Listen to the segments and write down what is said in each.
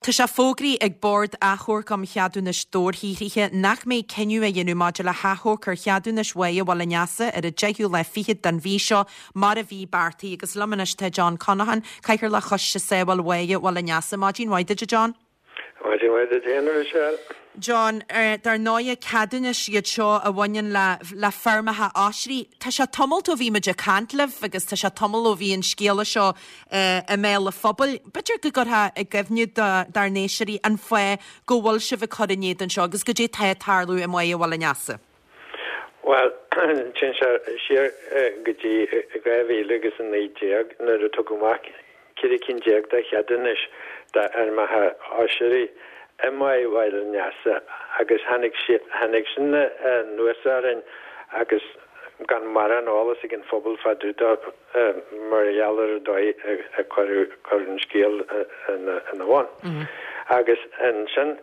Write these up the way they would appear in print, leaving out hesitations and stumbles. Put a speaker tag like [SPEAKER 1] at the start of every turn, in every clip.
[SPEAKER 1] Tá sé fógraithe ag Bord Achomhairc um Cheadúnais Dobharshaothraithe nach mbeidh cinneadh á dhéanamh maidir le hachomharc ar cheadúnais Bháighe Bhaile an Easa ar an deichiú lá fichead den mhí seo mar a bhí beartaithe. Agus liom anois tá John Conaghan, Cathaoirleach Choiste Sábháil Bháighe Bhaile an Easa. Maidin mhaith duit a John.
[SPEAKER 2] Maidin mhaith duit féin a Mhichelle.
[SPEAKER 1] John, Dar ndóighe, ceadúnais iad seo a bhaineann le le feirmeacha oisrí. Tá sé tamalt ó bhí muid ag caint libh agus tá sé tamall ó bhí an scéala seo i mbéal an phobail. B'fhéidir go gcuirfeá i gcuimhne dár n-éisteoirí an fáth go bhfuil sibh ag cur in éadan seo agus goidé tá ag tarlú i mBáighe Bhaile an Easa.
[SPEAKER 2] Bhuel, téann sé siar go dtí 2000 agus 19 nuair a tugadh amach 14 cinn de cheadúnais d'fheirmeacha oisrí i mBáighe Bhaile an Easa agus tháinig sin anuas orainn agus gan mórán eolas ag an phobal fá dtaobh de. mar gheall ar an dóigh a cuireadh an scéal ina bhun. Agus ansin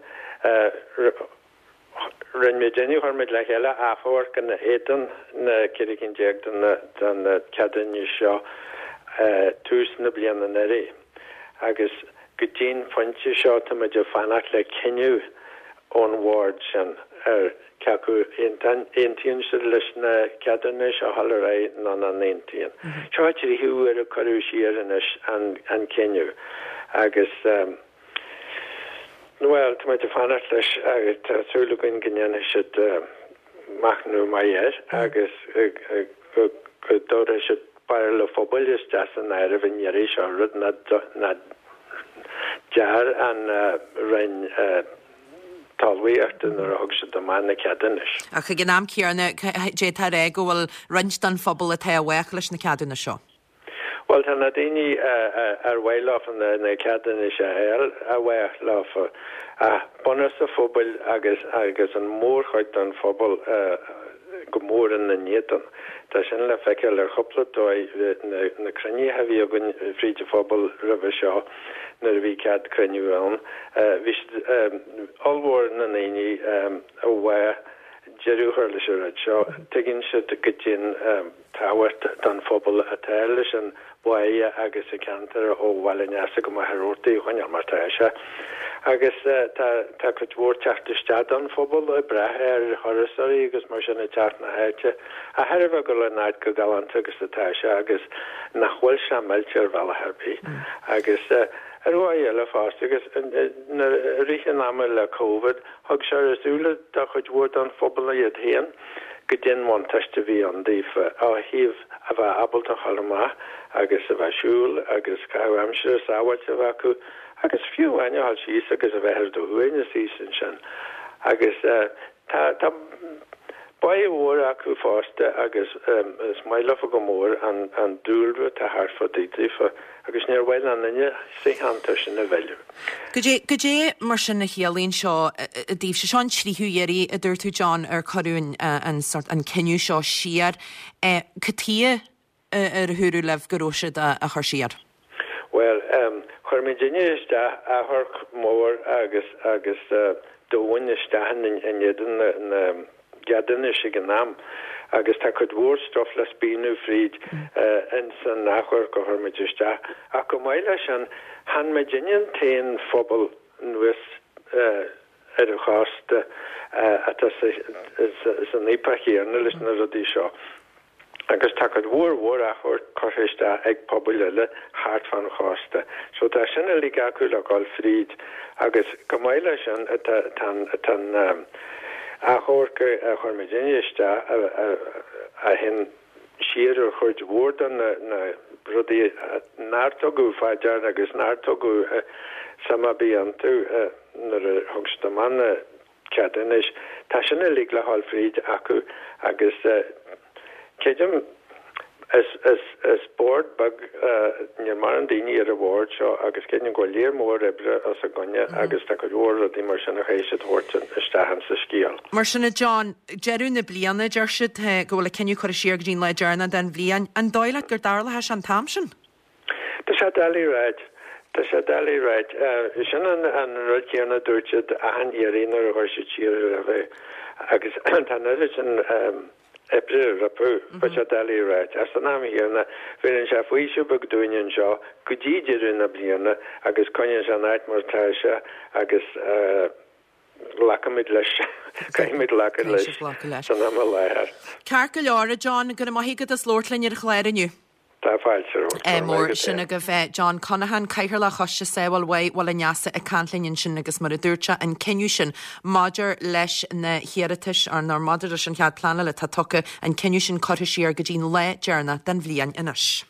[SPEAKER 2] rinne muid inniu, chuir muid le chéile achomharc ina éadan na 14 cinn de na ceadúnais seo tús na bliana anuraidh. Agus go dtí'n phointe seo tá muid ag fanacht le cinneadh ón bhord sin ar cé acu aontaíonn siad leis na ceadúnais a dhul ar aghaidh nó nach n-aontaíonn. Seo an tríú huair a cuireadh siar anois an cinneadh agus, bhuel, tá muid ag fanacht leis agus tá súil againn go ndéanfaidh siad machnamh maith air agus go dtabharfaidh siad barúil an phobail isteach san áireamh an iarraidh seo, rud nach ndear an Roinn Talmhaíochta nuair a thug siad amach na ceadúnais.
[SPEAKER 1] Ach ag an am céanna, d'fhéadfá a rá go bhfuil roinnt den phobal atá i bhfách leis na ceadúnais seo.
[SPEAKER 2] Bhuel, tá na daoine ar mhaith leofa na ceadúnais a fháil i bhfách leofa, ach bunús an phobail agus agus an mhórchuid den phobal go mór ina n-éadan. Tá sin le feiceáil ar chúpla dóigh, na cruinnithe a bhí againn fríd an phobal roimhe seo nuair a bhí cead cruinniú ann, bhí siad, ollmhór na ndaoine i bhfách deireadh a chur leis an rud seo. Tuigeann siad goidé'n tábhacht don phobal atá leis an bháighe agus an ceantar ó Bhaile an Easa go Machaire Rabhartaigh a choinneáil mar tá sé. Agus tá tá cuid mhór teacht isteach don phobal ag brath ar thurasóirí agus mar sin ag teacht na háite. A thairbhe go bhfuil an áit chomh galánta agus atá sé agus nach bhfuil sé millte ar bhealach ar bith. Agus ar dhóigh eile fosta agus nuair i rith an ama le Covid thug sé ar a súile do chuid mhór don phobal iad féin. Goidé'n bhuntáiste a bhí ann daofa ó thaobh a bheith ábalta a dhul amach agus a bheith ag siúl agus caitheamh aimsire sábháilte a bheith acu agus fiú amháin a dhul síos agus a bheith ar do shuaimhneas thíos ansin. Agus tá tá báighe mhór acu fosta agus is maith leofa go mór an an dúlra atá thart fá dtaobh daofa agus níor mhaith le aon duine sa cheantar sin a mhilleadh.
[SPEAKER 1] Goidé, goidé mar sin a chiallaíonn seo daoibhse? Seo an tríú iarraidh, a dúirt tú, John, ar cuireadh an, an sort, an cinneadh seo siar. Cad chuige ar dúradh libh go raibh siad á chur siar?
[SPEAKER 2] Bhuel, chuir muidinne isteach achomharc mór agus, agus domhain isteach in éadan na, na, gceadúnais ag an am agus tá cuid mhór stuif le spíonadh fríd ins an achomharc a chuir muid isteach. Ach chomh maith leis sin, chan muidinne an t-aon phobal anuas ar an chósta atá san fhaopach chéanna leis na rudaí seo. Agus tá cuid mhór mhór achomhairc curtha isteach ag pobail eile thart fán chósta. So tá sin uilig acu le dhul fríd. Agus chomh maith leis sin tá an achomharc a chuir muidinne isteach a théann siar ar chuid mhór de na rudaí nár tugadh fá deara agus nár tugadh suim ar bith iontu nuair a thug siad amach na ceadúnais. Tá sin uilig le dhul fríd acu agus creidim is is is bord beag níl mórán daoine ar an bhord seo agus creidim go bhfuil léar mór oibre os a gcoinne agus tá cuid mhór rudaí mar sin a chaithfidh siad thabhairt isteach insa scéal.
[SPEAKER 1] Mar sin a John, deireadh na bliana, deir siad, go bhfuil an cinneadh curtha siar go dtí an lá deireanach den bhliain. An dóigh leat go dtarlóidh sé an t-am sin?
[SPEAKER 2] Tá sé doiligh a ráit. Tá sé doiligh a ráit. Sin an rud céanna a dúirt siad achan iarraidh nuair a chuir siad siar roimhe é. Agus tá an oiread sin. oibre rompu, tá sé doiligh a ráit. Ach san am chéanna, bheireann sé faoiseamh beag dúinn anseo go dtí deireadh na bliana agus coinníonn sé an áit mar atá sé agus glacfaimid leis, caithfimid glacadh leis san am i láthair.
[SPEAKER 1] Ceart go leor, a John, go raibh maith agat as labhairt linn ar an chlár inniu.
[SPEAKER 2] Tá fáilte romhat.
[SPEAKER 1] Go raibh maith agat. Sin agaibh John Conaghan, Cathaoirleach Choiste Sábháil Bháigh Bhaile an Easa ag caint linn ansin agus mar a dúirt sé, an cinneadh sin maidir leis na hiarratais, nó maidir leis an chead pleanála atá tugtha, an cinneadh sin curtha siar go dtí'n lá deireanach den bhliain anois.